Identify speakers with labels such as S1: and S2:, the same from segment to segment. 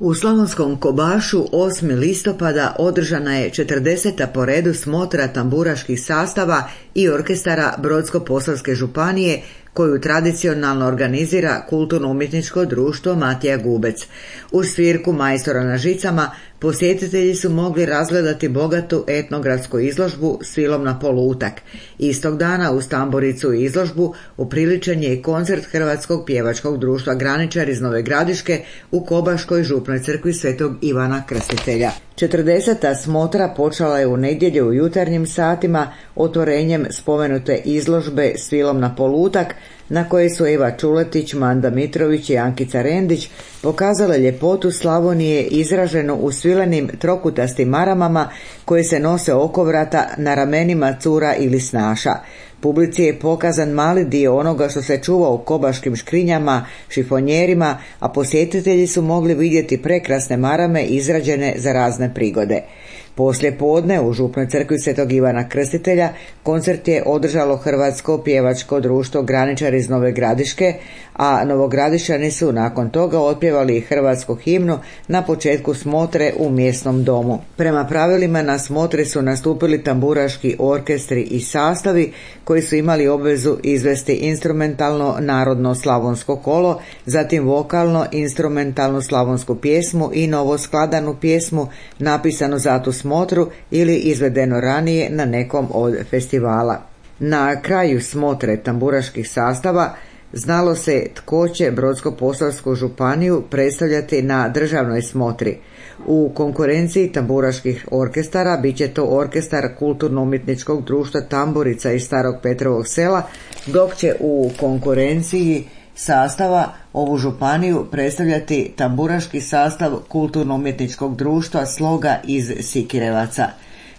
S1: U Slavonskom Kobašu 8. listopada održana je 40. po redu smotra tamburaških sastava i orkestara Brodsko-posavske županije koju tradicionalno organizira Kulturno-umjetničko društvo Matija Gubec. Uz svirku majstora na žicama posjetitelji su mogli razgledati bogatu etnogradsku izložbu Svilom na polutak. Istog dana uz tamburicu i izložbu upriličen je i koncert Hrvatskog pjevačkog društva Graničar iz Nove Gradiške u Kobaškoj župnoj crkvi Svetog Ivana Krstitelja. 40. smotra počela je u nedjelju u jutarnjim satima otvorenjem spomenute izložbe Svilom na polutak, na kojoj su Eva Čuletić, Manda Mitrović i Ankica Rendić pokazale ljepotu Slavonije izraženu u svilenim trokutastim maramama koje se nose oko vrata na ramenima cura ili snaša. Publici je pokazan mali dio onoga što se čuva u kobaškim škrinjama, šifonjerima, a posjetitelji su mogli vidjeti prekrasne marame izrađene za razne prigode. Poslije podne u župnoj crkvi Svetog Ivana Krstitelja koncert je održalo Hrvatsko pjevačko društvo Graničar iz Nove Gradiške, a Novogradišani su nakon toga otpjevali i hrvatsku himnu na početku smotre u mjesnom domu. Prema pravilima na smotri su nastupili tamburaški orkestri i sastavi koji su imali obvezu izvesti instrumentalno narodno slavonsko kolo, zatim vokalno instrumentalnu slavonsku pjesmu i novoskladanu pjesmu napisanu za tu smotru ili izvedeno ranije na nekom od festivala. Na kraju smotre tamburaških sastava znalo se tko će Brodsko-posavsku županiju predstavljati na državnoj smotri. U konkurenciji tamburaških orkestara bit će to orkestar Kulturno-umjetničkog društva Tamburica iz Starog Petrovog Sela, dok će u konkurenciji sastava ovu županiju predstavljati tamburaški sastav Kulturno-umjetničkog društva Sloga iz Sikirevaca.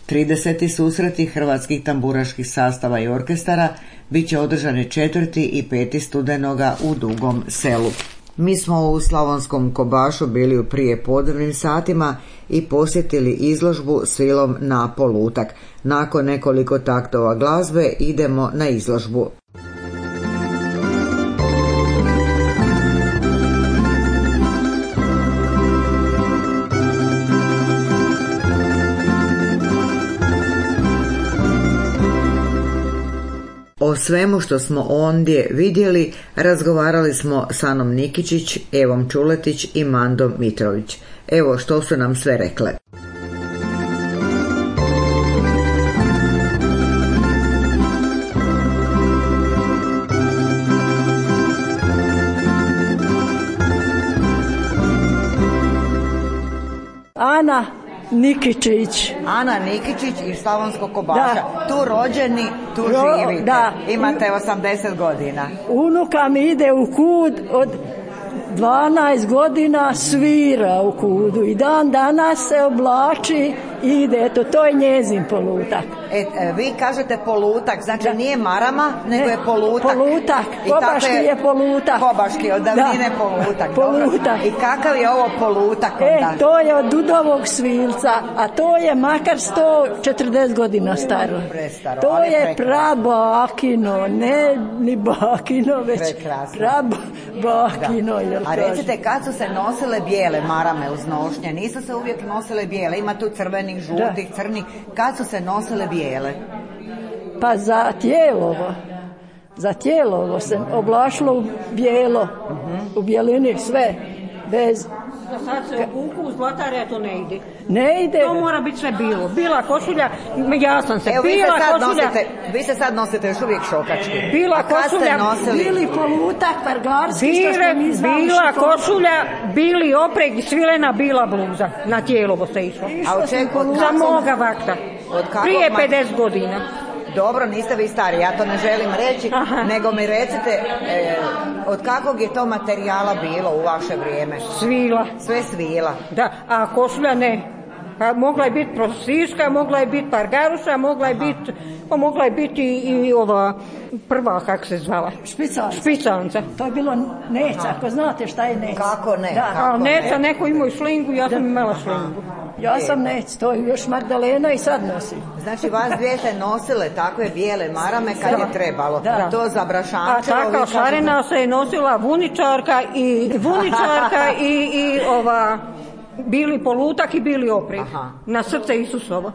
S1: 30. susreti hrvatskih tamburaških sastava i orkestara bit će održani 4. i 5. studenoga u Dugom Selu. Mi smo u Slavonskom Kobašu bili u prijepodnevnim satima i posjetili izložbu Svilom na polutak. Nakon nekoliko taktova glazbe idemo na izložbu. O svemu što smo ondje vidjeli razgovarali smo s Anom Nikičić, Evom Čuletić i Mandom Mitrović. Evo što su nam sve rekle.
S2: Ana Nikičić.
S1: Ana Nikičić iz Slavonskog Kobaša. Da. Tu rođeni, tu živite.
S2: Da.
S1: Imate 80 godina.
S2: Unuka mi ide u kud od 12 godina, svira u kudu i dan danas se oblači i ide, to je njezin polutak.
S1: Vi kažete polutak, znači da. Nije marama, nego je polutak.
S2: Polutak, kobaški je polutak.
S1: Kobaški, od davnine polutak.
S2: Polutak.
S1: I kakav je ovo polutak onda?
S2: To je od Dudovog svilca, a to je makar 140 godina staro.
S1: Prestaro,
S2: to je prabakino, ne ni bakino, već prabakino.
S1: A recite, kad su se nosile bijele marame uz nošnje? Nisu se uvijek nosile bijele, ima tu crvenih, žutih, crnih. Kad su se nosile bijele?
S2: Pa za tijelovo se oblašilo u bijelo, u bijelini sve, bez...
S3: Sad se uku zlatare, to ne ide.
S2: Ne ide.
S3: To mora biti sve bilo. Bila košulja, ja sam se.
S1: Evo,
S3: bila košulja.
S1: Vi se sad nosite još uvijek šokački.
S3: Bila košulja,
S2: bili polutak, pargarski,
S3: bila košulja, bili opreg i svilena, bila bluza. Na tijelovo se išlo.
S1: A od čega?
S3: Za moga vakta. Prije 50 godina.
S1: Dobro, niste vi stari, ja to ne želim reći, nego mi recite od kakvog je to materijala bilo u vaše vrijeme?
S3: Svila.
S1: Sve svila.
S3: Da, a košulja ne. Pa mogla je biti prosijska, mogla je biti pargaruša, mogla je biti i ova prva, kako se zvala? Špicanca.
S2: To je bilo neca, ako znate šta je neca.
S1: Kako ne?
S2: Da.
S3: A neca, neko imao i šlingu, ja sam imala šlingu.
S2: Ja sam nec, to je još Magdalena i sad nosi.
S1: Znači vas dvije ste nosile takve bijele marame kad je trebalo. Da. To za Brašančevo.
S3: A taka šarena se je nosila vuničarka i ova bili polutak i bili oprijed. Na srce Isusovo.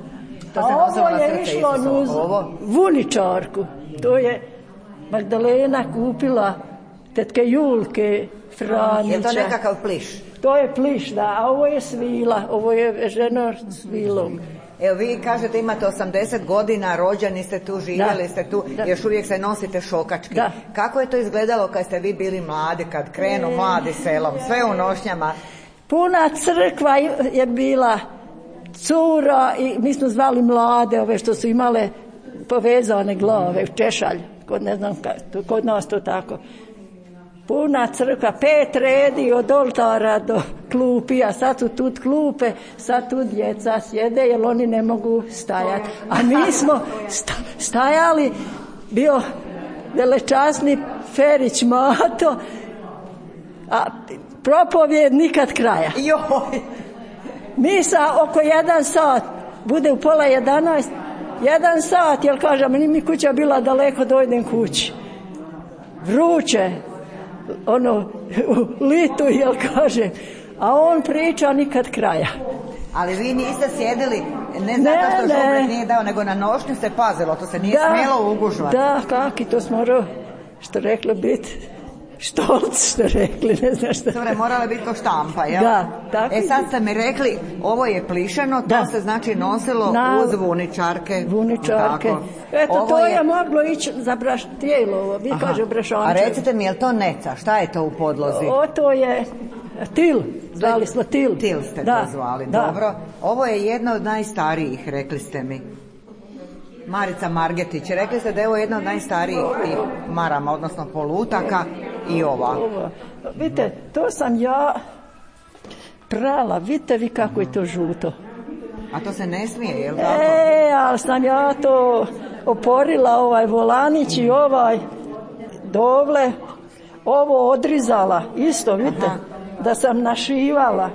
S2: A ovo je išlo uz vuničarku. To je Magdalena kupila tetke Julke Franića.
S1: Je to nekakav pliš?
S2: To je pliš, da, a ovo je svila, ovo je ženo svilom.
S1: Evo vi kažete imate 80 godina, rođeni ste tu, živjeli ste tu, još uvijek se nosite šokački. Da. Kako je to izgledalo kad ste vi bili mladi, kad krenu mladi selom, sve u nošnjama?
S2: Puna crkva je bila, cura i mi smo zvali mlade, ove što su imale povezane glave, češalj, kod nas to tako. Puna crkva, 5 redi od oltara do klupi, a sad su tu klupe, sad tu djeca sjede jer oni ne mogu stajati. A mi smo stajali, bio velečasni Ferić Mato, a propovjed nikad kraja.
S1: Joj!
S2: Misa oko 1 sat, bude u pola 11, 1 sat, jer kažem, mi kuća bila daleko, dojdem kući. Vruće, u litu, jel kažem, a on priča nikad kraja.
S1: Ali vi niste sjedili, ne zato što žubret nije dao, nego na nošnju se pazilo, to se nije smjelo ugužvati.
S2: Da, kaki, to smo morao, što rekli, biti štolc, što rekli, ne znam što.
S1: Sve morale biti ko štampa, jel?
S2: Da, tako.
S1: Sad ste mi rekli, ovo je plišano, to se znači nosilo uz vuničarke.
S2: Vuničarke. Eto, to je moglo ići za tijelo, vi kaže brašanče.
S1: A recite mi, je li to neca? Šta je to u podlozi?
S2: To je til, zvali smo til.
S1: Til ste to zvali, dobro. Ovo je jedna od najstarijih, rekli ste mi. Marica Margetić, rekli ste da je ovo jedna od najstarijih tih marama, odnosno polutaka i ova.
S2: Vidite, to sam ja prala, vidite vi kako je to žuto.
S1: A to se ne smije, je li tako?
S2: Ali sam ja to oporila, ovaj volanić i ovaj dovle, ovo odrizala, isto, vidite, da sam našivala.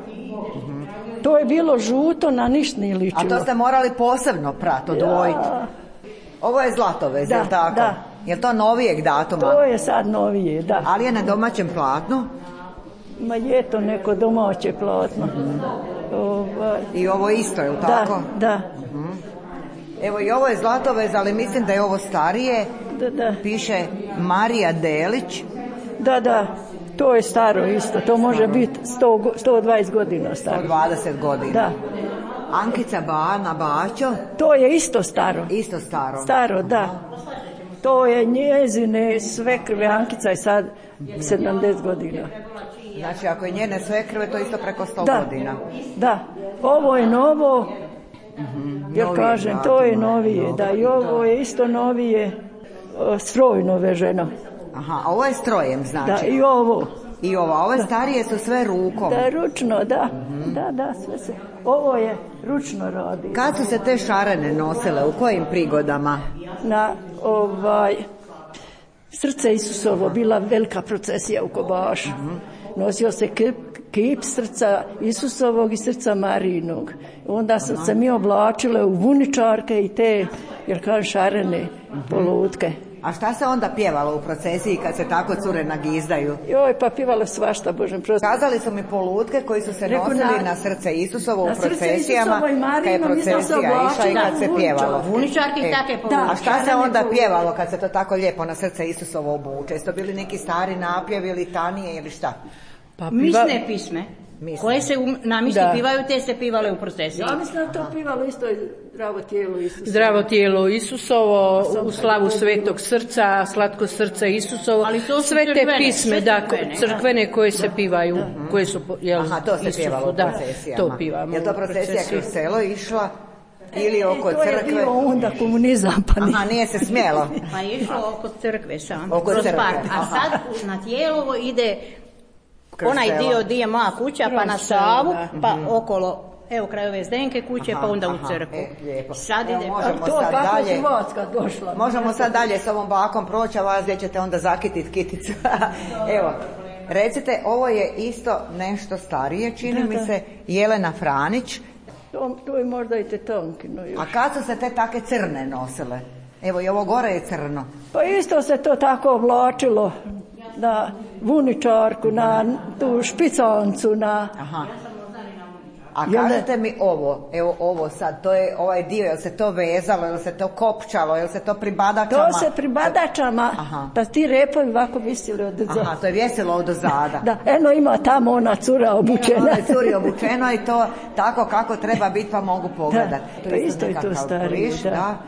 S2: To je bilo žuto, na ništa nije ličilo.
S1: A to ste morali posebno odvojiti. Ovo je Zlatovez, je li tako?
S2: Da.
S1: Je li to novijeg datuma?
S2: To je sad novije, da.
S1: Ali je na domaćem platnu?
S2: Ma je to neko domaće platno.
S1: I ovo isto, je li tako?
S2: Da.
S1: Evo i ovo je Zlatovez, ali mislim da je ovo starije.
S2: Da.
S1: Piše Marija Delić.
S2: Da. To je staro isto, to može biti 120 godina staro.
S1: 120 godina.
S2: Da.
S1: Ankica Bana Bačo.
S2: To je isto staro.
S1: Isto staro.
S2: Staro, da. To je njezine svekrve, Ankica je sad 70 godina.
S1: Znači ako je njene svekrve, to je isto preko 100 godina.
S2: Da, ovo je novo, jer kažem, to je novije, da, i ovo je isto novije, strojno veženo.
S1: Aha, a ovo je strojem, znači?
S2: Da, i ovo.
S1: I ove starije su sve rukom.
S2: Da, ručno, da. Da, sve se. Ovo je ručno radi.
S1: Kad su se te šarene nosile, u kojim prigodama?
S2: Na srce Isusovo, bila velika procesija u Kobašu. Nosio se kip srca Isusovog i srca Marijinog. Onda su se mi oblačile u vuničarke i te, jer kažem, šarene polutke.
S1: A šta se onda pjevalo u procesiji kad se tako cure nagizdaju?
S2: Joj, pa pjevalo svašta, Božem prosti.
S1: Kazali su mi polutke koji su se nosili na srce Isusovo u procesijama, kad je procesija išla i kad se pjevalo.
S3: Vuničarki take polutke.
S1: A šta se onda pjevalo kad se to tako lijepo na srce Isusovo obuče? Jesu to bili neki stari napjevi, litanije ili šta?
S3: Misne pisme. Koje se na misli pivaju, te se pivale u procesiji.
S2: Ja mislim da to pivalo isto zdravo tijelo Isusovo.
S4: Zdravo tijelo Isusovo, u slavu svetog srca, slatko srce Isusovo.
S3: Ali to su
S4: sve te pisme, crkvene koje se pivaju, koje su
S1: to se pjevalo u procesijama.
S4: To pivamo.
S1: Je to procesija kroz selo išla? Ili oko crkve?
S2: To je bio onda komunizam, pa nije.
S1: Aha, nije se smjelo.
S3: Pa je išlo oko crkve sam.
S1: Oko crkve.
S3: A sad na Tijelovo ide onaj dio gdje je moja kuća, pa na Savu, pa okolo, evo kraj ove Zdenke kuće, pa onda u crkvu.
S1: Lijepo.
S3: Sad ide.
S1: Možemo sad dalje. Možemo sad dalje s ovom bakom proći, a vas gdje ćete onda zakititi kiticu. Evo, recite, ovo je isto nešto starije, čini mi se, Jelena Franić.
S2: To je možda i Tetonkino još.
S1: A kad su se te take crne nosile? Evo i ovo gore je crno.
S2: Pa isto se to tako oblačilo na vuničarku, na tu špicancu, na...
S1: Aha. A kažete mi ovo, evo ovo sad, to je ovaj dio, je li se to vezalo, je li se to kopčalo, je li se to pri badačama?
S2: To se pri badačama, pa ti repovi ovako visili od zada.
S1: Aha, to je vjesilo od zada.
S2: Da, eno ima tamo ona cura obučena.
S1: Ona je curi obučeno i to tako kako treba biti pa mogu pogledati.
S2: Da, pa isto je to starije,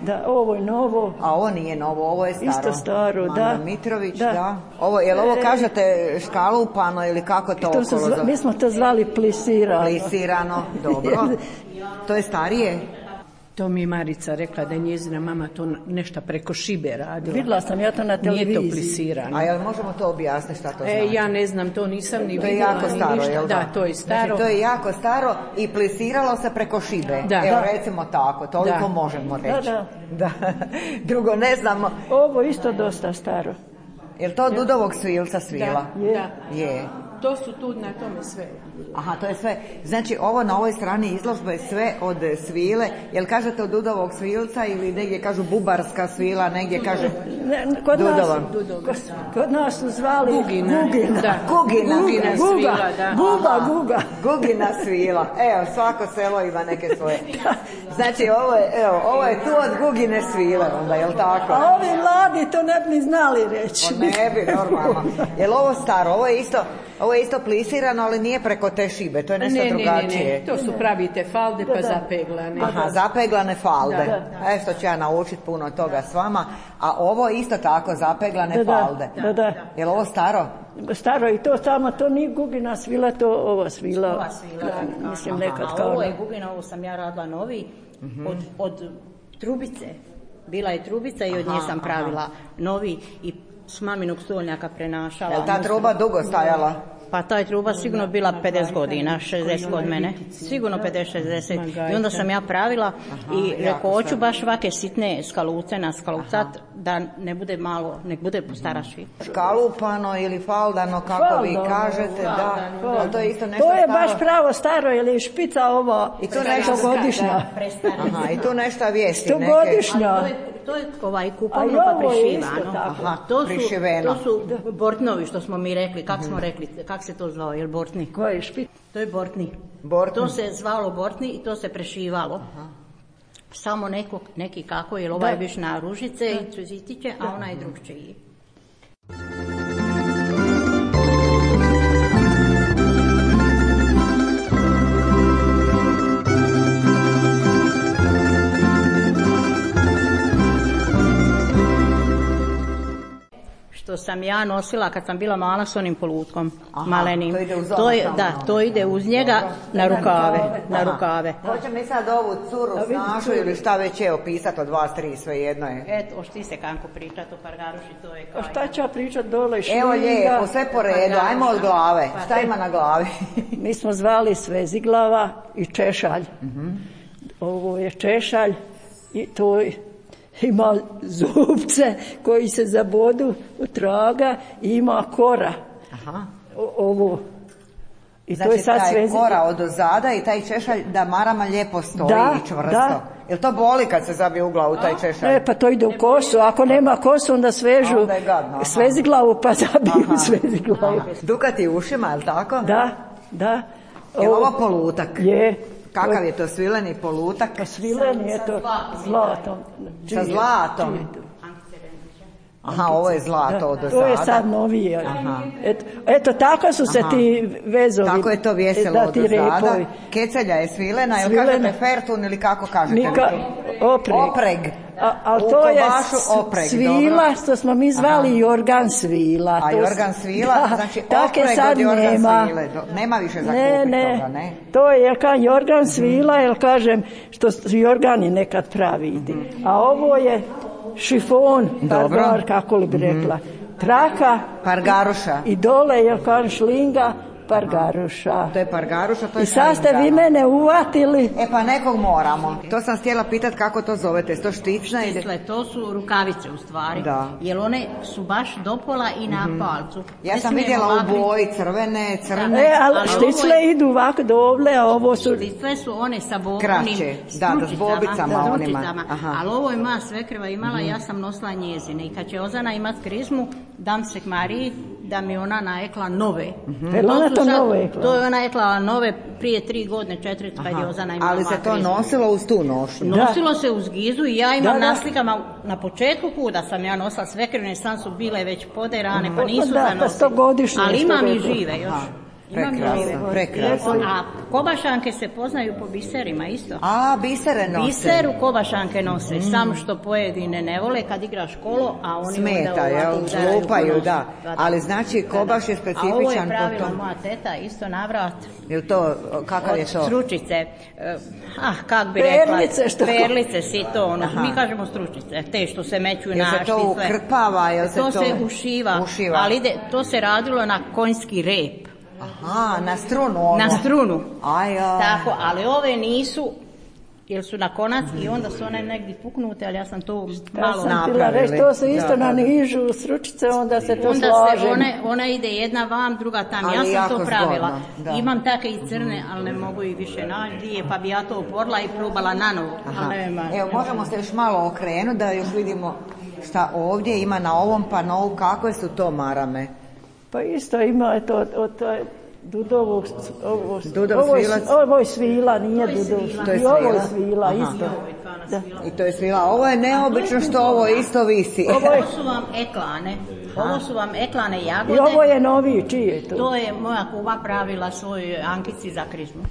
S2: da, ovo je novo.
S1: A ovo nije novo, ovo je staro.
S2: Isto staro, da.
S1: Manda Mitrović, da. Ovo, je li ovo kažete škalupano ili kako to okolo zove?
S2: Mi smo to zvali plisirano.
S1: Plisirano, dobro. To je starije?
S4: To mi je Marica rekla da je njezina mama to nešto preko šibe radila.
S2: Vidjela sam ja to na televiziji.
S4: Nije to plisirano.
S1: A jel možemo to objasniti šta to znači?
S4: Ja ne znam, to nisam ni vidjela.
S1: To je jako staro, jel da?
S4: Da, to je staro.
S1: Znači, to je jako staro i plisiralo se preko šibe.
S4: Da.
S1: Evo recimo tako, toliko možemo reći. Da. Drugo ne znamo.
S2: Ovo isto dosta staro.
S1: Jel to od Dudovog svilca svila?
S4: Da.
S1: Je.
S4: To su tu na tome sve.
S1: Aha, to je sve. Znači, ovo na ovoj strani izložbe je sve od svile. Jel kažete od Dudovog svilca ili negdje kažu bubarska svila, negdje kaže Dudova?
S2: Kod nas su zvali
S4: Gugina.
S1: Gugina
S4: svila, da.
S2: Gugina
S1: svila. Evo, svako selo ima neke svoje. Znači, ovo je tu od Gugine svile, onda, jel tako?
S2: A ovi mladi to ne bi znali reći.
S1: Ne bi, normalno. Jel ovo staro? Ovo je isto plisirano, ali nije preko te šibe, to je nešto drugačije.
S4: Ne, to su pravi te falde pa zapeglane.
S1: Aha, zapeglane falde. Što ću ja naučiti puno toga s vama. A ovo isto tako, zapeglane falde.
S2: Da.
S1: Je li ovo staro?
S2: Staro i to samo, to nije Gugina svila, to ova svila.
S5: Ova svila.
S2: Mislim nekad kao.
S5: Ovo je Gugina, ovo sam ja radila novi, od trubice. Bila je trubica i od nje sam pravila novi i s maminog stolnjaka prenašala.
S1: Je li ta truba dugo stajala?
S5: Pa ta je truba sigurno bila 50 godina, 60 kod mene. Sigurno 50-60. I onda sam ja pravila i rekao, hoću baš ovake sitne skaluce na skalucat, da ne bude malo, nek bude stara švi.
S1: Škalupano ili faldano, kako vi kažete, da. To je isto nešto
S2: staro. To je
S1: staro.
S2: baš pravo staro, ili špica ovo,
S1: i to nešto
S2: godišnja.
S1: I tu nešto vijesti neke.
S2: Godišnja.
S5: To je kupovno pa prišivano.
S1: Prišiveno.
S5: To su bortnovi što smo mi rekli, kako smo rekli, kako se to zvao, je li bortni?
S2: Koji je špic?
S5: To je bortni. To se zvalo bortni i to se prešivalo. Samo neki kako, jer ovaj je biš na ružice i cvjetiće, a ona je drugčiji. Što sam ja nosila kad sam bila mala s onim polutkom malenim. To ide uz njega na rukave.
S1: Hoće mi sad ovu curu snašu ili šta već je opisati od vas tri, sve jedno je.
S5: Eto, ošti se kako pričati o Pargaruši, to je kaj.
S2: Šta ću ja pričati dole šlinga?
S1: Evo lijepo, sve po redu, ajmo od glave. Šta ima na glavi?
S2: Mi smo zvali Sveziglava i Češalj. Ovo je Češalj i to je ima zubce koji se zabodu u traga i ima kora. Ovo. I
S1: znači,
S2: to je sad
S1: taj kora od ozada i taj češalj da marama lijepo stoji i čvrsto. Jel to boli kad se zabije u glavu taj češalj?
S2: Pa to ide u kosu. Ako nema kosu, onda svežu Sveziglavu pa zabiju Sveziglavu.
S1: Dukati ušima, je li tako?
S2: Da.
S1: Je ovo polutak?
S2: Je.
S1: Kakav je to svileni polutak?
S2: Pa svileni je to zlatom.
S1: Sa zlatom? Aha, ovo je zlato od ozada.
S2: To je sad novije. Eto, tako su se ti vezovi.
S1: Tako je to vjeselo od ozada. Kecelja je svilena, jel kažete fertun ili kako kažete? Opreg.
S2: Ali to je svila, što smo mi zvali Jorgan svila.
S1: A Jorgan svila, znači opreg od Jorgan svile. Nema više za kupiti toga, ne?
S2: To je Jorgan svila, jer kažem, što Jorgani nekad praviti. A ovo je šifon, pargar, kako li bi rekla. Traka.
S1: Pargaruša.
S2: I dole je kažem šlinga. Pargaruša.
S1: To je Pargaruša, to je.
S2: I sad ste vi mene uvatili.
S1: Pa nekog moramo. To sam htjela pitati kako to zovete. To štična ili?
S5: Štisle, to su rukavice u stvari. Jer one su baš do pola i na palcu.
S1: Ja sam vidjela u boji crvene.
S2: Ali štisle idu ovako dovle, a ovo su...
S5: Štisle su one sa
S1: kraće, s bobicama onima.
S5: Ali ovo je moja svekrva imala, ja sam nosila njezine. I kad će Ozana imat krizmu, dam se k Mariji da mi ona naekla nove.
S2: To
S5: je ona ekla nove prije 3 godine, 4, kad je Ozana imala.
S1: Ali se to nosilo uz tu nošnju?
S5: Nosilo se uz gizu i ja imam na slikama na početku kuda sam ja nosila svekrene, sam su bile već poderane, pa nisu da nosile. Ali imam i žive još.
S1: Prekrasno.
S5: A kobašanke se poznaju po biserima isto.
S1: A, bisere nose.
S5: Biseru kobašanke nose, samo što pojedine ne vole kad igraš kolo, a oni
S1: smeta, lupaju, da. Ali znači kobaš je specifičan po tom.
S5: A ovo je pravila moja teta, isto navrat.
S1: Jel to, kakav je to?
S5: Od stručice, kak bi rekla, perlice si to, mi kažemo stručice, te što se meću na štice.
S1: Jel se to ukrpava,
S5: to se ušiva, ali to se radilo na konjski rep.
S1: Aha, na strunu ono.
S5: Na strunu.
S1: Aja.
S5: Tako, ali ove nisu, jer su na konac i onda su one negdje puknute, ali ja sam to malo
S2: napravili. To se isto na nižu stručice, onda se to slaže.
S5: Ona ide jedna vam, druga tam. Ali ja sam to pravila. Imam take i crne, ali ne mogu ih više naći, pa bi ja to uporila i probala na novo.
S1: Evo, možemo se još malo okrenuti da još vidimo šta ovdje ima na ovom panovu, kakve su to marame.
S2: Pa isto ima to od Dudovog, ovo je svila, nije Dudov. I ovo je svila, isto.
S1: I to je svila. Ovo je neobično što ovo isto visi.
S5: Ovo su vam eklane jagode.
S2: I ovo je novi, čiji je to?
S5: To je moja kuva pravila svoj Ankici za krizmu.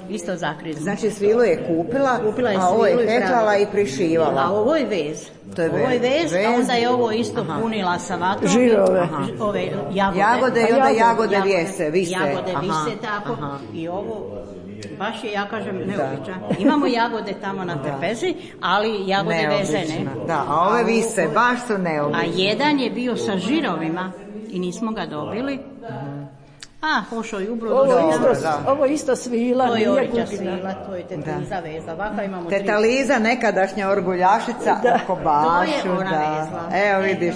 S5: Isto za krizmu.
S1: Znači svilu je kupila a ovo je teklala i prišivala.
S5: A ovo je vez. Ovo je vez, a onda je ovo isto punila sa vatrom.
S2: Žirove.
S5: Ove jagode.
S1: Jagode i onda jagode vise.
S5: Jagode vise tako. I ovo baš je, ja kažem, neobičan. Imamo jagode tamo na trpezi, ali jagode vezene.
S1: Da, a ove vise baš su neobične.
S5: A jedan je bio sa žirovima i nismo ga dobili. Pošao i ubro.
S2: Ovo isto svila.
S5: To je orića svila, to je teta Liza veza. Ovako imamo
S1: teta Liza, nekadašnja orguljašica u Kobašu.
S5: To je ona vezla.
S1: Evo vidiš.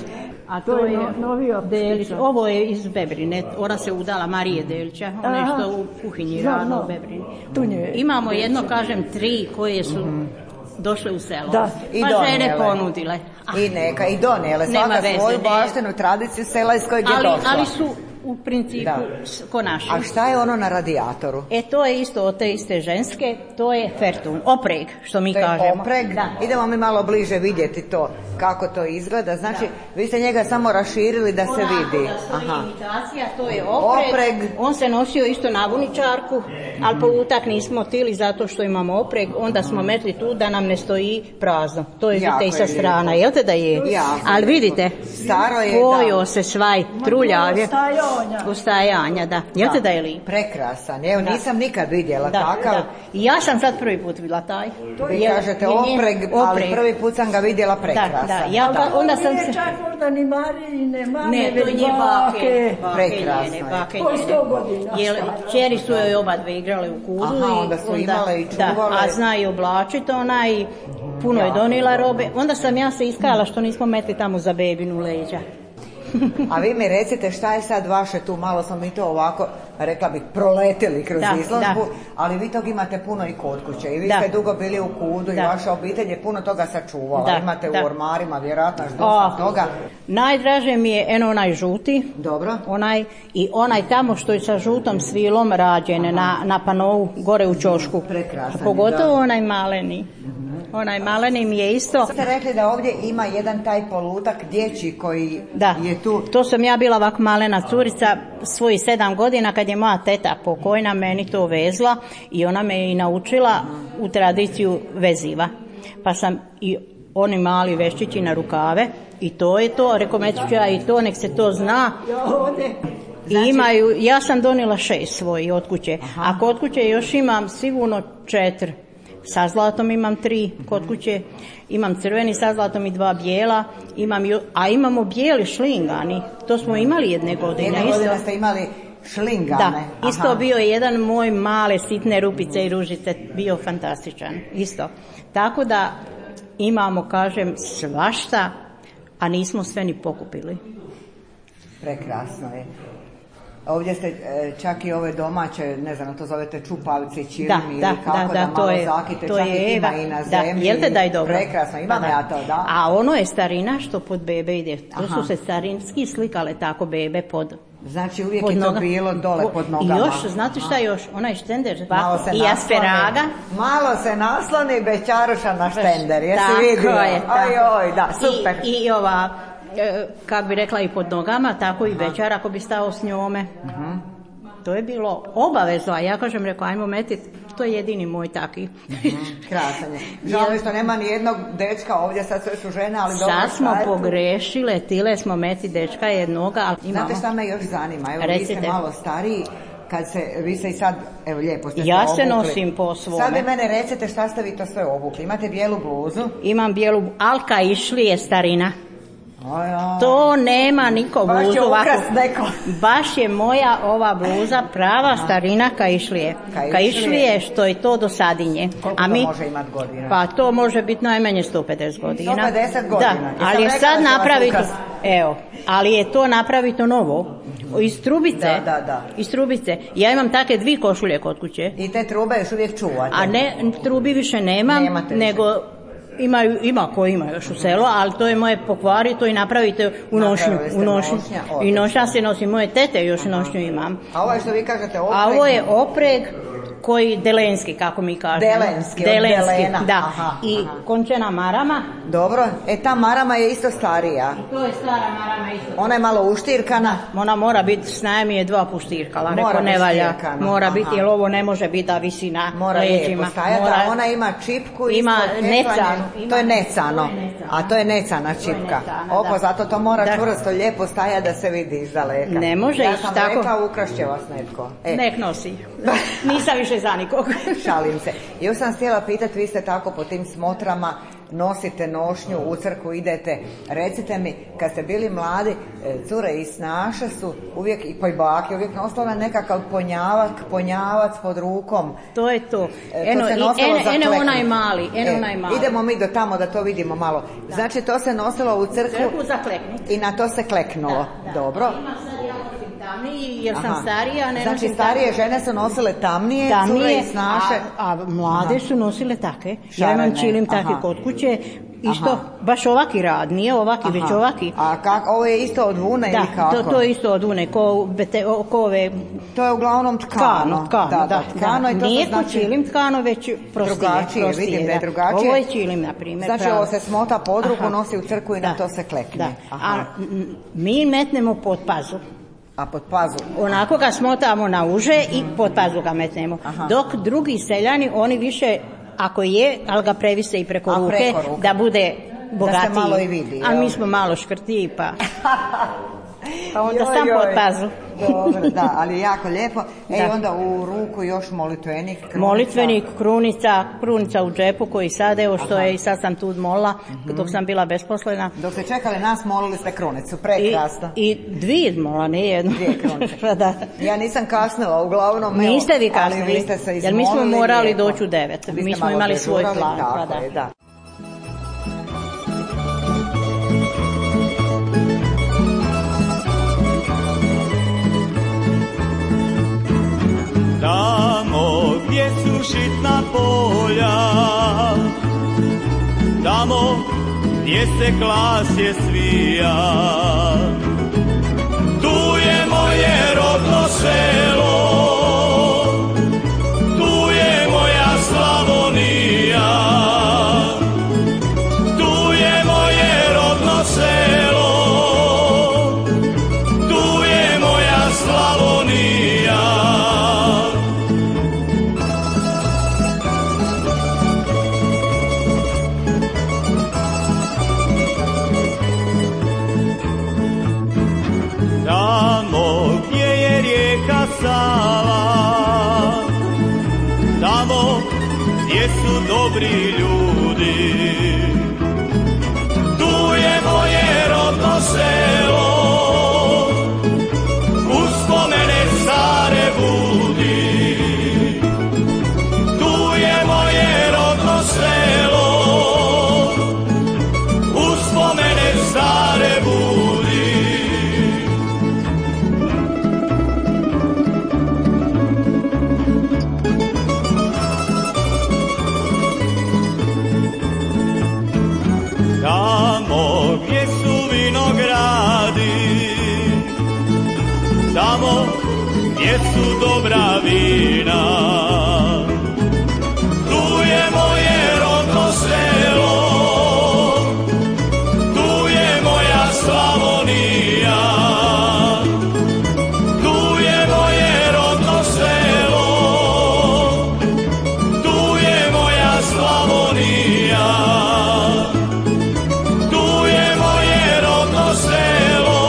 S2: A to je novi
S5: Delić. Ovo je iz Bebrine. Ona se udala Marije Delića. Ona je što u kuhinji radila u Bebrini. Imamo jedno, kažem, 3 koje su došle u selo.
S2: Da.
S5: Pa žene ponudile.
S1: I neka, i donijele. Svaka svoju baštinu, tradiciju sela iz kojeg je došla.
S5: Ali su u principu ko naši.
S1: A šta je ono na radijatoru?
S5: To je isto od te iste ženske, to je fertun, opreg, što mi kažemo.
S1: To je opreg? Idemo mi malo bliže vidjeti to, kako to izgleda. Znači, vi ste njega samo raširili da se vidi.
S5: Imitacija, to je opreg. On se nosio isto na vuničarku, ali po utak nismo tili zato što imamo opreg, onda smo metli tu da nam ne stoji prazno. To je vidite i sa strana, jel te da je? Ali vidite, pojo se svaj, truljav je. Ustajanja, da. Jel te da je lijep?
S1: Prekrasan. Evo, nisam nikad vidjela takav.
S5: I ja sam sad prvi put vidjela taj.
S1: Vi kažete opreg, ali prvi put sam ga vidjela prekrasan.
S5: Onda sam se...
S2: Čak možda ni Marine,
S5: ne, to je bake.
S1: Prekrasno.
S2: Koji 100 godina.
S5: Čeri su joj oba dve igrale u kudu.
S1: Onda su imale i čuvale.
S5: A zna i oblačiti ona i puno je donijela robe. Onda sam ja se iskajala što nismo metli tamo za bebinu leđa.
S1: A vi mi recite šta je sad vaše tu, malo smo mi to ovako, rekla bih, proletili kroz izložbu, ali vi tog imate puno i kod kuće i vi ste dugo bili u kudu i vaša obitelj je puno toga sačuvala, imate u ormarima vjerojatno dosta toga.
S5: Najdraže mi je onaj žuti, i onaj tamo što je sa žutom svilom rađen na panovu gore u ćošku, pogotovo onaj maleni. Onaj maleni mi je isto.
S1: Ste rekli da ovdje ima jedan taj polutak dječji koji je tu.
S5: To sam ja bila ovak malena curica svojih 7 godina kad je moja teta pokojna meni to vezla i ona me i naučila u tradiciju veziva. Pa sam i oni mali veščići na rukave i to je to, rekao ja i to, nek se to zna. I imaju, ja sam donijela 6 svojih od kuće, a kod kuće još imam sigurno 4. Sa zlatom imam 3 kod kuće, imam crveni sa zlatom i 2 bijela, a imamo bijeli šlingani, to smo imali jedne godine.
S1: Jedne godine ste imali šlingane?
S5: Da, isto bio je jedan moj male sitne rupice i ružice, bio fantastičan, isto. Tako da imamo, kažem, svašta, a nismo sve ni pokupili.
S1: Prekrasno je. Ovdje ste čak i ove domaće, ne znam, to zovete čupavci, čilimi ili kako da malo zakite, čak i ima i na zemlji.
S5: Jel te da je dobro?
S1: Prekrasno, imam ja to, da.
S5: A ono je starina što pod bebe ide. To su se starinski slikale tako bebe pod...
S1: Znači uvijek je to bilo dole pod nogama.
S5: I još, znate šta još? Onaj štender i asperaga.
S1: Malo se nasloni bećaruša na štender, jesi vidio? Oj, da, super.
S5: I ova, kako bi rekla, i pod nogama, tako i bećar ako bi stao s njome. To je bilo obavezno, a ja kažem, rekao, ajmo metit, to je jedini moj taki.
S1: Krasan je. Žao mi što nema ni jednog dečka ovdje, sad sve su žene, ali dobro.
S5: Sad smo pogrešile, tile smo meti dečka jednoga, ali imamo.
S1: Znate šta me još zanima? Evo, vi ste malo stariji, vi se i sad, evo lijepo ste se
S5: ja
S1: obukli.
S5: Se nosim po svome.
S1: Sad vi mene recite šta ste vi to sve obukli. Imate bijelu bluzu?
S5: Imam bijelu, Alka išli je starina. To nema niko bluzu.
S1: Baš je ukras neko.
S5: Baš je moja ova bluza prava starina Kaišlije. Kaišlije što je to do Sadinje.
S1: Koliko to može imati godina?
S5: Pa to može biti najmanje 150 godina.
S1: 150 godina.
S5: Da, ali je sad napravito, ali je to napravito novo. Iz trubice.
S1: Da.
S5: Iz trubice. Ja imam take 2 košulje kod kuće.
S1: I te trube još uvijek čuvate?
S5: A ne, trubi više nemam, nego... Ima ko ima još u selo, ali to je moje pokvari, to i napravite u nošnju. I nošnja se nosi, moje tete još nošnju imam.
S1: A ovo je što vi kažete opreg?
S5: A ovo je opreg koji delenski, kako mi kažemo.
S1: Delenski, od delena.
S5: Da. I končena marama.
S1: Dobro, ta marama je isto starija.
S5: To je stara marama isto.
S1: Ona je malo uštirkana.
S5: Ona mora biti, s najmi je 2 puštirkala, rekao ne valja. Mora biti, jer ovo ne može biti da visi na leđima.
S1: Ona ima čipku.
S5: Ima necanu.
S1: To je necano. A to je necana čipka. Opo, zato to mora čvrsto, lijepo stajati da se vidi iz daleka.
S5: Ne može ići tako.
S1: Ja sam rekla, ukrašće vas netko.
S5: Nek nosi. Nisam više za nikog.
S1: Šalim se. Još sam htjela pitati, vi ste tako po tim smotrama, nosite nošnju, u crkvu idete. Recite mi, kad ste bili mladi, cure i snaše su uvijek, i bake, uvijek nosila nekakav ponjavac pod rukom.
S5: To je to. Eno onaj mali.
S1: Idemo mi do tamo da to vidimo malo. Da. Znači, to se nosilo u crkvu i na to se kleknulo. Da. Dobro.
S5: Jer sam starija, ne
S1: znači starije žene su nosile tamnije, cure i snaše.
S5: A mlade su nosile take. Ja imam čilim take kod kuće. Isto, baš ovaki rad, nije ovaki, već ovaki.
S1: A ovo je isto od vune ili kako?
S5: Da, to je isto od vune, ko ove...
S1: To je uglavnom tkano.
S5: Tkano i to nije znači... čilim tkano, već prostije.
S1: Drugačije, vidim da je drugačije.
S5: Ovo je čilim, na primjer.
S1: Znači ovo se smota pod ruku, nosi u crkvu i na to se klekne.
S5: A mi metnemo pod pazu.
S1: A pod pazu?
S5: Onako ga smotamo na uže i pod pazu ga metnemo. Dok drugi seljani, oni više, ako je, ali ga previse i preko ruke, da bude bogatiji.
S1: Da se malo i vidi.
S5: A mi smo malo škrtiji, pa onda sam pod pazu.
S1: Dobro, da, ali jako lijepo. I onda u ruku još molitvenik, krunica.
S5: Molitvenik, krunica u džepu koji sad, evo što je, i sad sam tu molila, dok sam bila besposlena.
S1: Dok ste čekali nas, molili ste krunicu, prekrasno.
S5: I 2 mola, ne jednu.
S1: 2 krunice. Ja nisam kasnila, uglavnom.
S5: Niste vi kasnili,
S1: ali vi ste se izmolili.
S5: Jer mi smo morali doći u 9. Mi smo imali svoj plan.
S1: Tako je, da.
S6: Tamo gdje su žitna polja, tamo gdje se klasje svija, tu je moje rodno selo, tu je moja Slavonija, tu je moje rodno selo, tu je moja Slavonija. Sava, tamo gdje su dobri ljudi, tu je moje rodno selo, uspomene stare budi, tu je moje rodno selo, uspomene stare budi. dobra vina. Tu je moje rodno selo, tu je moja Slavonija, tu je moje rodno selo, tu je moja Slavonija, tu je moje rodno selo,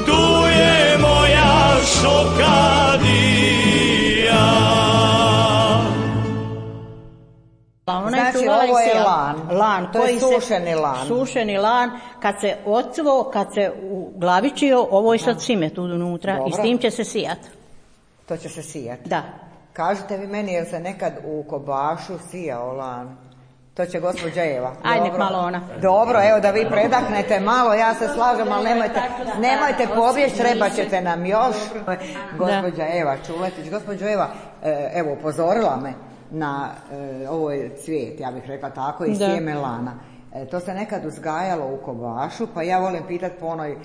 S6: tu je moja Šokadija.
S7: Znači ovo je lan, to je sušeni lan.
S5: Sušeni lan, kad se ocvo, kad se uglavičio, ovo je sad šimet unutra. Dobro. I s tim će se sijati.
S7: To će se sijati?
S5: Da.
S7: Kažite vi meni, jel se nekad u Kobašu sijao lan? To će gospođa Eva.
S5: Ajde, nek malo ona.
S7: Dobro, evo da vi predahnete malo, ja se slažem, ali nemojte pobjeći, treba ćete nam još. Gospođa Eva Čuletić. Gospođo Eva, evo, upozorila me na ovo je cvijet, ja bih rekla tako, i sjeme lana. To se nekad uzgajalo u Kobašu, pa ja volim pitati po onoj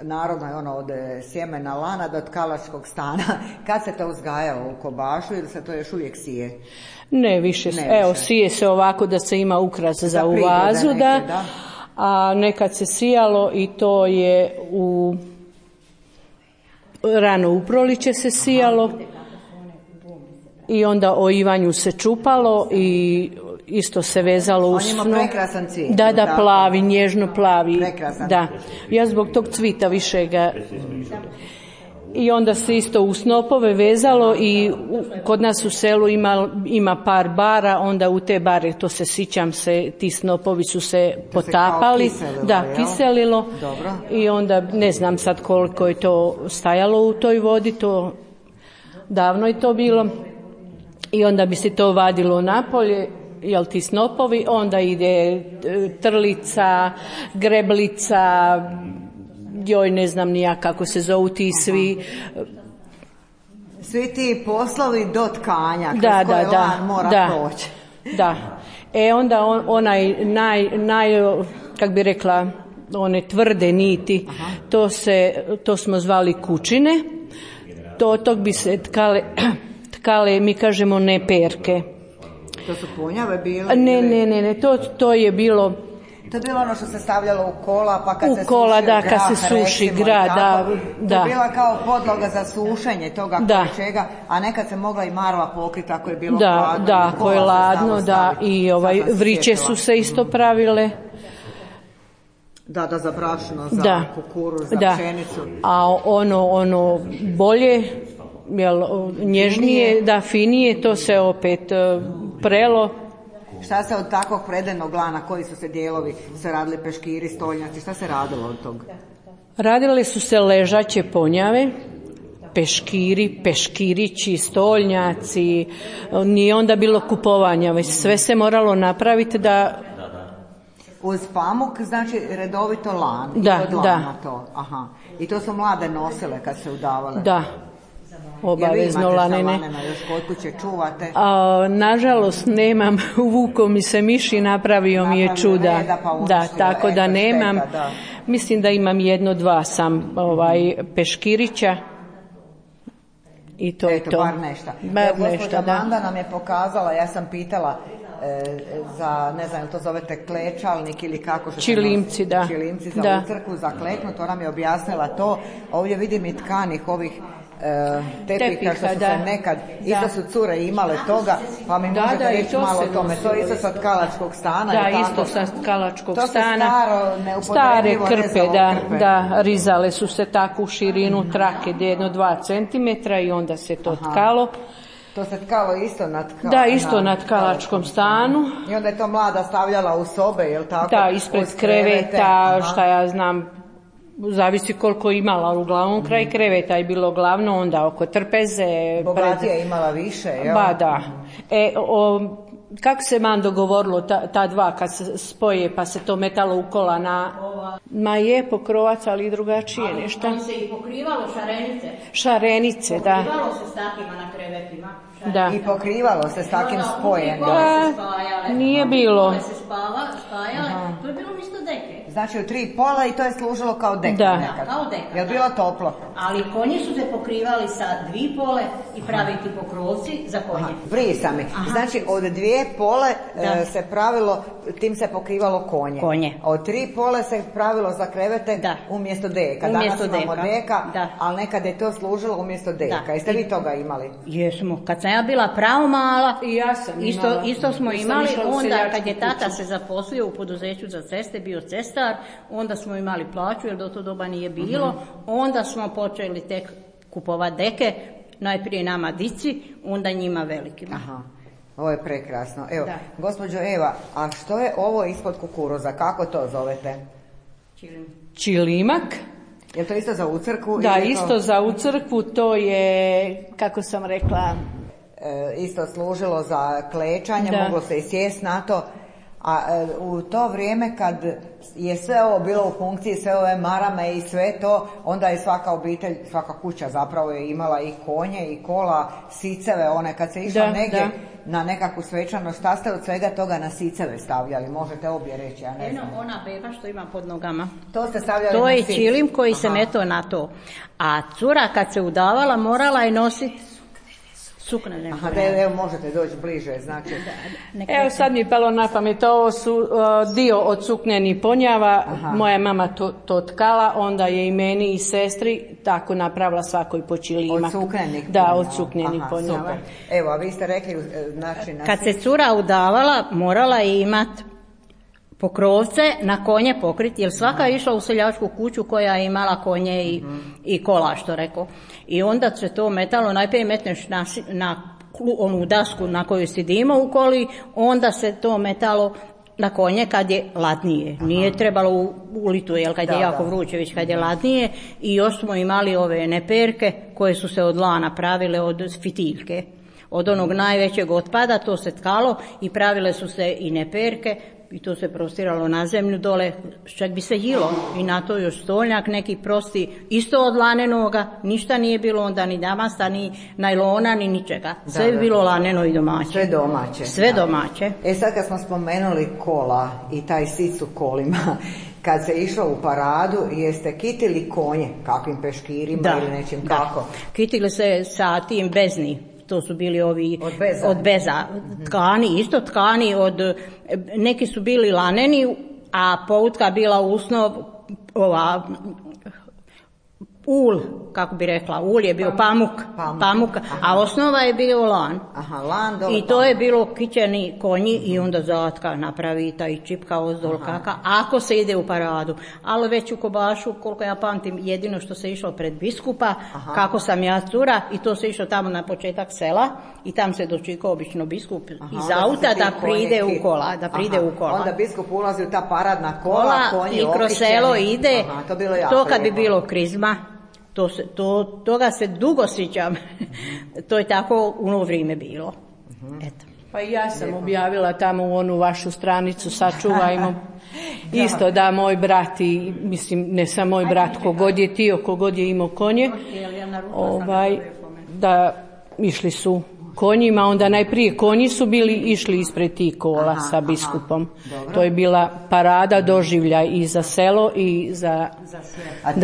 S7: narodnoj, od sjemena lana do tkalačkog stana. Kad se to uzgajalo u Kobašu ili se to još uvijek sije?
S4: Ne više. Evo, sije se ovako da se ima ukras za u vazu, da. A nekad se sijalo i to je rano u proliće se sijalo. I onda o Ivanju se čupalo i isto se vezalo u sno.
S7: On ima prekrasan cvijet.
S4: Da, plavi, nježno plavi.
S7: Prekrasan.
S4: Da. Ja zbog tog cvita više ga... I onda se isto u snopove vezalo i kod nas u selu ima par bara, onda u te bare, to se sjećam se, ti snopovi su se potapali. Kiselilo.
S7: Dobro.
S4: I onda ne znam sad koliko je to stajalo u toj vodi, to davno je to bilo. I onda bi se to vadilo napolje, jel ti snopovi, onda ide trlica, greblica, joj ne znam ni ja kako se zovu ti svi.
S7: Svi ti poslovi do tkanja, kroz koje lan mora proći.
S4: Da. Onda onaj kak bi rekla, one tvrde niti, to smo zvali kučine, tog bi se tkale, mi kažemo ne perke.
S7: To su punjave bile?
S4: Ne, to je bilo...
S7: To je bilo ono što se stavljalo u kola, pa kad se
S4: suši grah, da.
S7: To je bila kao podloga za sušenje toga čega, a nekad se mogla i marva pokriti ako je bilo hladno.
S4: Da, ako je ladno, da, i vriće su se isto pravile.
S7: Da, za brašno, za kukuruz, za pšenicu.
S4: A ono bolje, nježnije, finije, to se opet prelo.
S7: Šta se od takvog predenog lana, koji su se dijelovi, se radili peškiri, stolnjaci, šta se radilo od toga?
S4: Radile su se ležaće ponjave, peškirići, stolnjaci, nije onda bilo kupovanja, već sve se moralo napraviti da...
S7: Uz pamuk, znači redovito lan, to. Aha. I to su mlade nosile kad se udavale?
S4: Da. Obavezno lanene.
S7: Jel vi imate još kod kuće čuvate?
S4: Nažalost nemam, uvuko mi se miš i napravio mi je čuda. Tako da nemam. Mislim da imam 1-2 sam peškirića i to je to.
S7: Bar nešto. Gospođa Manda nam je pokazala, ja sam pitala za, ne znam, to zovete klečalnik ili kako što
S4: Čilimci, da.
S7: Čilimci za utrku, za kleknut, ona mi je objasnila to. Ovdje vidim i tkanih ovih tepiha što su se nekad, isto su cure imale toga, pa mi možete reći malo o tome. To je isto sa tkalačkog stana.
S4: Da, isto sa tkalačkog stana.
S7: To se stare
S4: krpe, da, rizale su se tako u širinu trake 1-2 cm i onda se to tkalo.
S7: To se tkalo isto na
S4: isto na tkalačkom stanu.
S7: I onda je to mlada stavljala u sobe, jel tako?
S4: Da, ispred kreveta, šta ja znam, zavisi koliko imala, uglavnom kraj kreveta je bilo glavno, onda oko trpeze.
S7: Bogatija je imala više, jel?
S4: Ba da. Kako se Mando govorilo, ta dva kad se spoje pa se to metalo u kola ma je pokrovac, ali i drugačije nešto.
S5: Ali se i pokrivalo šarenice.
S4: Šarenice, da.
S5: Pokrivalo se s takvima na krevetima.
S7: Da. I pokrivalo se s takim spojem.
S4: Nije bilo.
S5: Se spajale, to je bilo isto deke.
S7: Znači u 3 pola i to je služilo kao deke.
S4: Da.
S7: Nekad. Kao deka. Je li bilo toplo?
S5: Ali konji su se pokrivali sa 2 pole i praviti pokrovci za konje.
S7: Prije sami. Znači od 2 pole se pravilo, tim se pokrivalo konje. Od 3 pole se pravilo za krevete umjesto deka. Danas imamo deka, ali nekad je to služilo umjesto deka. Jeste vi toga imali?
S5: Jesmo. Kad sam ja bila pravo mala,
S4: i ja sam imala.
S5: Isto smo imali. Onda kad je tata se zaposlio u poduzeću za ceste, bio cestar, onda smo imali plaću jer do to doba nije bilo. Onda smo počeli tek kupovati deke, najprije nama dici, onda njima velikima.
S7: Ovo je prekrasno. Evo, gospođo Eva, a što je ovo ispod kukuruza? Kako to zovete?
S4: Čilimak.
S7: Je to isto za ucrkvu?
S4: Da, isto za ucrkvu, to je, kako sam rekla...
S7: isto služilo za klečanje, moglo se i sjest na to. A u to vrijeme kad je sve ovo bilo u funkciji, sve ove marame i sve to, onda je svaka obitelj, svaka kuća zapravo je imala i konje i kola, siceve, one kad se išlo negdje na nekakvu svečanost, šta ste od svega toga na siceve stavljali? Možete obje reći, ja ne znam.
S5: Ona beba što ima pod nogama.
S7: To ste stavljali
S5: to
S7: na
S5: je čilim koji se meto na to. A cura kad se udavala morala je nositi suknene.
S7: Evo možete doći bliže, znači.
S4: Evo sad mi je palo na pamet, ovo su dio od suknenih ponjava, moja mama to tkala, onda je i meni i sestri tako napravila svakoj po čilimak.
S7: Od suknenih
S4: ponjava? Da, od suknenih ponjava.
S7: Super. Evo, a vi ste rekli, znači...
S5: Kad se cura udavala, morala je imati pokrovce na konje pokriti, jer svaka je išla u seljačku kuću koja je imala konje i kola, što rekao. I onda se to metalo, najprije metneš na onu dasku na kojoj sidimo u koli, onda se to metalo na konje kad je ladnije. Nije trebalo u litu, jel, kad je jako vruće, već kad je ladnije. I još smo imali ove neperke koje su se od lana pravile, od fitiljke. Od onog najvećeg otpada, to se tkalo i pravile su se i neperke. I to se prostiralo na zemlju dole, čak bi se jilo. I na to još stolnjak neki prosti, isto od lanenoga, ništa nije bilo onda ni damasta, ni najlona, ni ničega. Sve je bilo laneno i domaće.
S7: Sve domaće.
S5: Sve domaće.
S7: Sad kad smo spomenuli kola i taj sic u kolima, kad se išlo u paradu, jeste kitili konje, kakvim peškirima ili nečim kako?
S5: Kitili se sa tim bezni. To su bili ovi od beza tkani, isto tkani neki su bili laneni, a poutka bila usnov ul, kako bi rekla, ul je bio pamuk, a osnova je bio lan. I to je bilo kićeni konji i onda zatka napravi taj čipka ozdol kaka, ako se ide u paradu. Ali već u Kobašu, koliko ja pamtim, jedino što se išlo pred biskupa, kako sam ja cura, i to se išlo tamo na početak sela i tam se dočekao obično biskup iz auta da pride u kola.
S7: Onda biskup ulazi u ta paradna kola, konji
S5: i kroz selo ide, to kad bi bilo krizma. Toga se dugo sjećam. To je tako u ono vrijeme bilo. Eto.
S4: Pa i ja sam objavila tamo u onu vašu stranicu, sačuvajmo. Isto da moj brat i, mislim, ne samo moj brat, kogod je tio, kogod je imao konje, da išli su konjima, onda najprije konji su išli ispred tih kola sa biskupom. Dobro. To je bila parada doživljaj i za selo i za...
S7: A ti,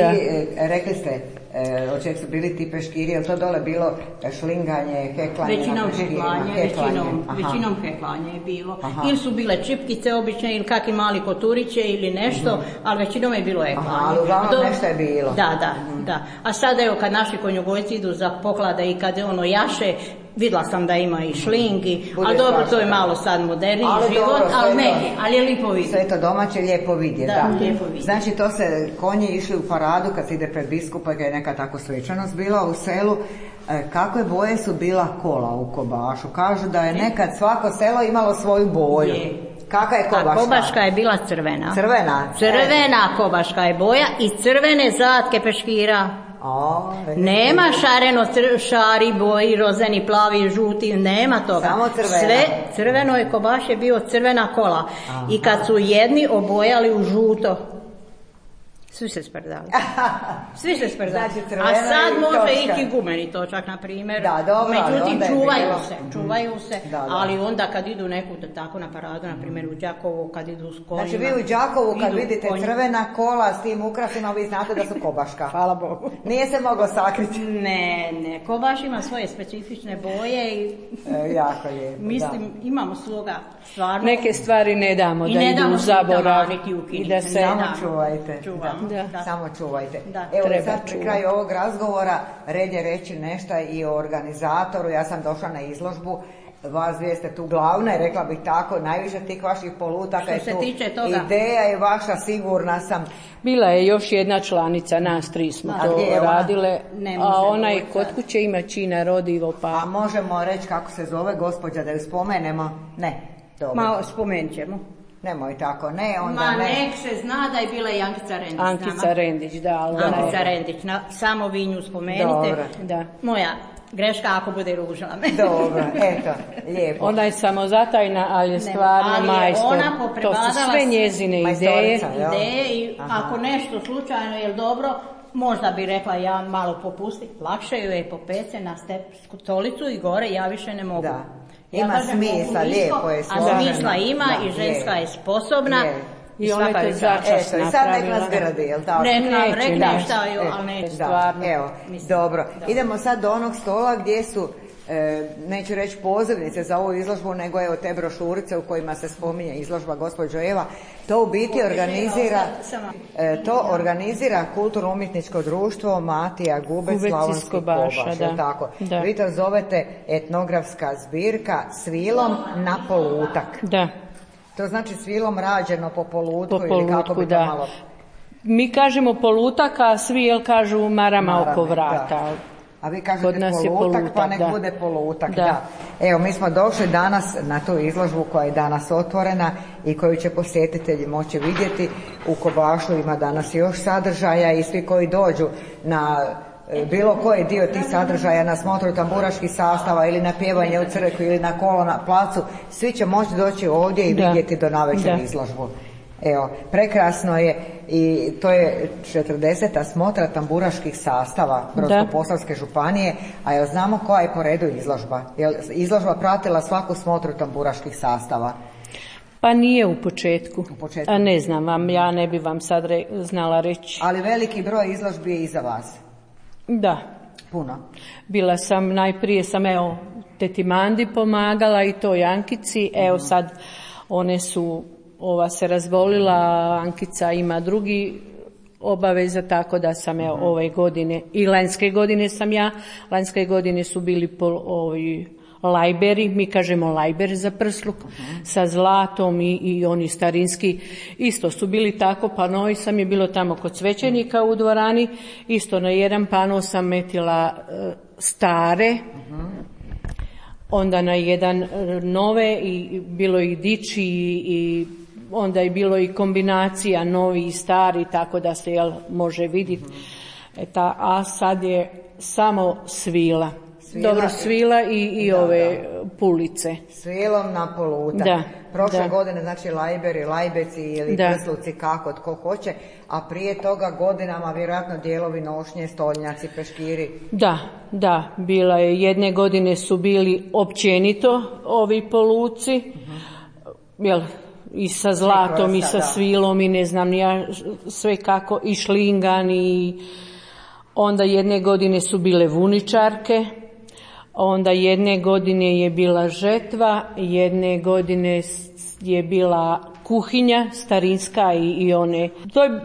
S7: rekli ste, od čeg su bili ti peškiri, je li to dole bilo šlinganje, heklanje?
S5: Većinom heklanje je bilo. Ili su bile čipkice obične, ili kakvi mali koturiće ili nešto, ali većinom je bilo heklanje.
S7: Ali uglavnom nešto je bilo.
S5: Da. A sad evo kad naši konjogojci idu za poklade i kad ono jaše, vidjela sam da ima i šlingi, ali dobro, to je malo sad moderniji život, ali je lijepo vidjeti.
S7: Sve to domaće, lijepo vidjeti.
S5: Lijepo vidjeti.
S7: Znači to se konji išli u paradu kad se ide pred biskupa, kad je neka tako svečanost bila u selu. Kakve boje su bila kola u Kobašu? Kažu da je nekad svako selo imalo svoju boju. Kakva je Kobaška?
S5: A Kobaška je bila crvena.
S7: Crvena
S5: Kobaška je boja i crvene zatke peškira. Nema šareno, šari, boji, rozeni, plavi, žuti, nema toga.
S7: Samo crvena.
S5: Sve crveno je, Kobaš je bio crvena kola. I kad su jedni obojali u žuto, Svi se sprdali. Svi se sprdali.
S7: Znači,
S5: a sad može
S7: točka.
S5: Iti gumeni točak, na primjer.
S7: Da, dobro,
S5: međutim, čuvaju se.
S7: Da.
S5: Ali onda kad idu neku tako na paradu, na primjer u Đakovu, kad idu s konjima.
S7: Znači vi u Đakovu kad vidite crvena kola s tim ukrasima, vi znate da su kobaška.
S5: Hvala Bogu.
S7: Nije se moglo sakriti.
S5: Ne, kobaš ima svoje specifične boje i
S7: jako lijepo.
S5: Mislim, imamo svoga stvarno.
S4: Neke stvari ne damo da idu u zaborav i da se
S7: samo čuvajte. Samo čuvajte. Evo sad pri kraju ovog razgovora red je reći nešto i o organizatoru. Ja sam došla na izložbu, vas dvije ste tu glavne, rekla bih tako, najviše tih vaših polutaka je tu ideja je vaša, sigurna sam.
S4: Bila je još jedna članica, nas tri smo to radile, a ona je kod kuće ima Čina Rodivo.
S7: A možemo reći kako se zove gospođa, da ju spomenemo? Ne, dobro.
S5: Ma spomenut ćemo.
S7: Nemoj tako, ne, onda
S5: ne. Nek se zna da je bila i Ankica Rendić.
S4: Ankica Rendić, da.
S5: Ankica Rendić, samo vi nju spomenite.
S7: Dobro.
S4: Da.
S5: Moja greška ako bude ružila me.
S7: Dobro, eto, lijepo.
S4: Ona je samozatajna, ali je stvarno majstor. To su sve njezine ideje.
S5: I ako nešto slučajno je dobro, možda bi rekla ja malo popusti, lakše ju je popece na stolicu i gore, ja više ne mogu.
S7: Da. Ima smisla, lijepo je složeno.
S5: A smisla ima i ženska je sposobna.
S4: I ona je to začas napravila.
S7: I sad nek nas gradi, jel tako?
S5: Nek nam rekne šta je, ali neće.
S7: Stvarno. Evo, dobro. Idemo sad do onog stola gdje su, neću reći pozivnice za ovu izložbu, nego evo te brošurice u kojima se spominje izložba gospođo Eva. To u biti organizira kulturno-umjetničko društvo Matija Gubec, Slavonski Kobaš, tako.
S4: Da.
S7: Vi to zovete etnografska zbirka Svilom na polutak.
S4: Da.
S7: To znači svilom rađeno po polutku ili kako bi to malo...
S4: Mi kažemo polutak, a svi kažu marama oko vrata.
S7: Da. A vi kažete polutak, pa nek bude polutak. Da. Evo, mi smo došli danas na tu izložbu koja je danas otvorena i koju će posjetitelji moći vidjeti. U Kobašu ima danas još sadržaja i svi koji dođu na bilo koji dio tih sadržaja, na smotru tamburaških sastava ili na pjevanje u crkvi ili na kolo na placu, svi će moći doći ovdje i vidjeti do navečer izložbu. Evo, prekrasno je i to je 40. smotra tamburaških sastava Brodsko-posavske županije, a jel znamo koja je po redu izložba? Je izložba pratila svaku smotru tamburaških sastava?
S4: Pa nije u početku. A ne znam vam, ja ne bi vam sad znala reći.
S7: Ali veliki broj izložbi je iza vas.
S4: Da.
S7: Puno.
S4: Bila sam, najprije sam teti Mandi pomagala i to Ankici, sad one su, ova se razbolila, Ankica ima drugi obaveza, tako da sam ove godine, i lanjske godine su bili lajberi, mi kažemo lajber za prsluk, sa zlatom i oni starinski, isto su bili tako panovi, sam je bilo tamo kod svećenika u dvorani, isto na jedan pano sam metila stare, onda na jedan nove i bilo i diči i onda je bilo i kombinacija novi i stari, tako da se može vidjeti. A sad je samo svila. Dobro, svila i ove pulice.
S7: Svilom na polutak. Prošle godine, znači lajberi, lajbeci ili prsluci, kako, tko hoće, a prije toga godinama vjerojatno dijelovi nošnje, stolnjaci, peškiri.
S4: Da, bila je, jedne godine su bili općenito ovi poluci, i sa zlatom i sa svilom i ne znam ja sve kako, i šlingan i onda jedne godine su bile vuničarke, onda jedne godine je bila žetva, jedne godine je bila kuhinja starinska i one.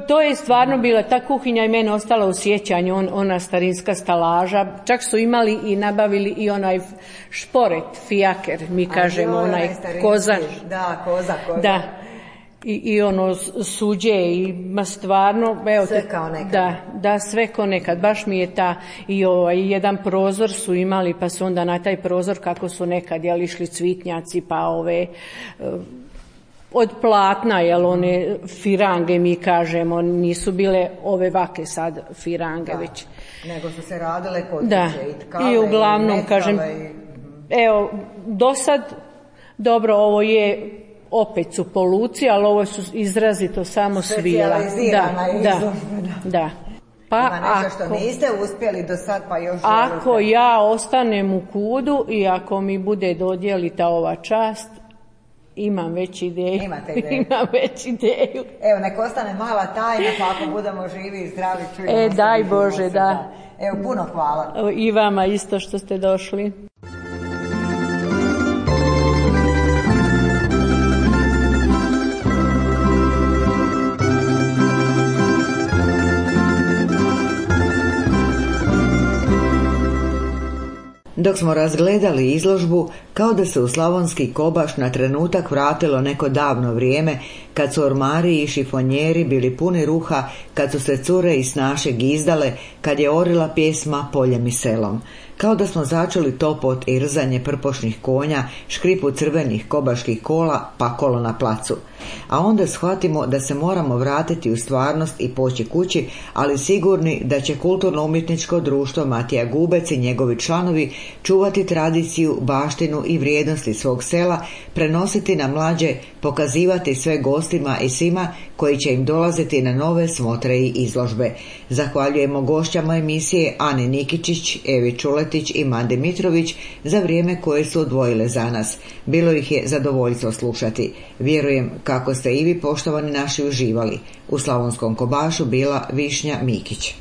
S4: To je stvarno bila, ta kuhinja je meni ostala u sjećanju, ona starinska stalaža, čak su imali i nabavili i onaj šporet, fijaker, mi kažemo, onaj kozač.
S7: Da, koza.
S4: Da. I ono suđe i stvarno
S7: sve kao nekad.
S4: Da, sve kao nekad, baš mi je i jedan prozor su imali, pa su onda na taj prozor kako su nekad išli cvitnjaci, pa od platna, one firange mi kažemo, nisu bile ove vake sad firange već.
S7: Nego su se radile kod
S4: i uglavnom kažem, do sad, dobro, ovo je opet su po luci, ali ovo su izrazito samo svila. Da.
S7: Pa ima nešto što niste uspjeli do sad, pa još
S4: ako
S7: želite.
S4: Ja ostanem u KUD-u i ako mi bude dodijelita ova čast, imam već ideju.
S7: Imate ideju?
S4: Imam već ideju.
S7: Evo, nek ostane mala tajna, pa ako budemo živi i zdravi, čujemo se.
S4: Daj Bože, da.
S7: Evo, puno hvala.
S4: I vama isto što ste došli.
S1: Dok smo razgledali izložbu, kao da se u Slavonski Kobaš na trenutak vratilo neko davno vrijeme, kad su ormari i šifonjeri bili puni ruha, kad su se cure i snaše gizdale, kad je orila pjesma poljem i selom. Kao da smo začuli topot i rzanje prpošnih konja, škripu crvenih kobaških kola, pa kolo na placu. A onda shvatimo da se moramo vratiti u stvarnost i poći kući, ali sigurni da će kulturno-umjetničko društvo Matija Gubec i njegovi članovi čuvati tradiciju, baštinu i vrijednosti svog sela, prenositi na mlađe, pokazivati sve gostima i svima koji će im dolaziti na nove smotre i izložbe. Zahvaljujemo gošćama emisije Ani Nikičić, Evi Čuletić i Mandi Mitrović za vrijeme koje su odvojile za nas. Bilo ih je zadovoljstvo slušati. Vjerujem kako ste i vi, poštovani naši, uživali. U Slavonskom Kobašu bila Višnja Mikić.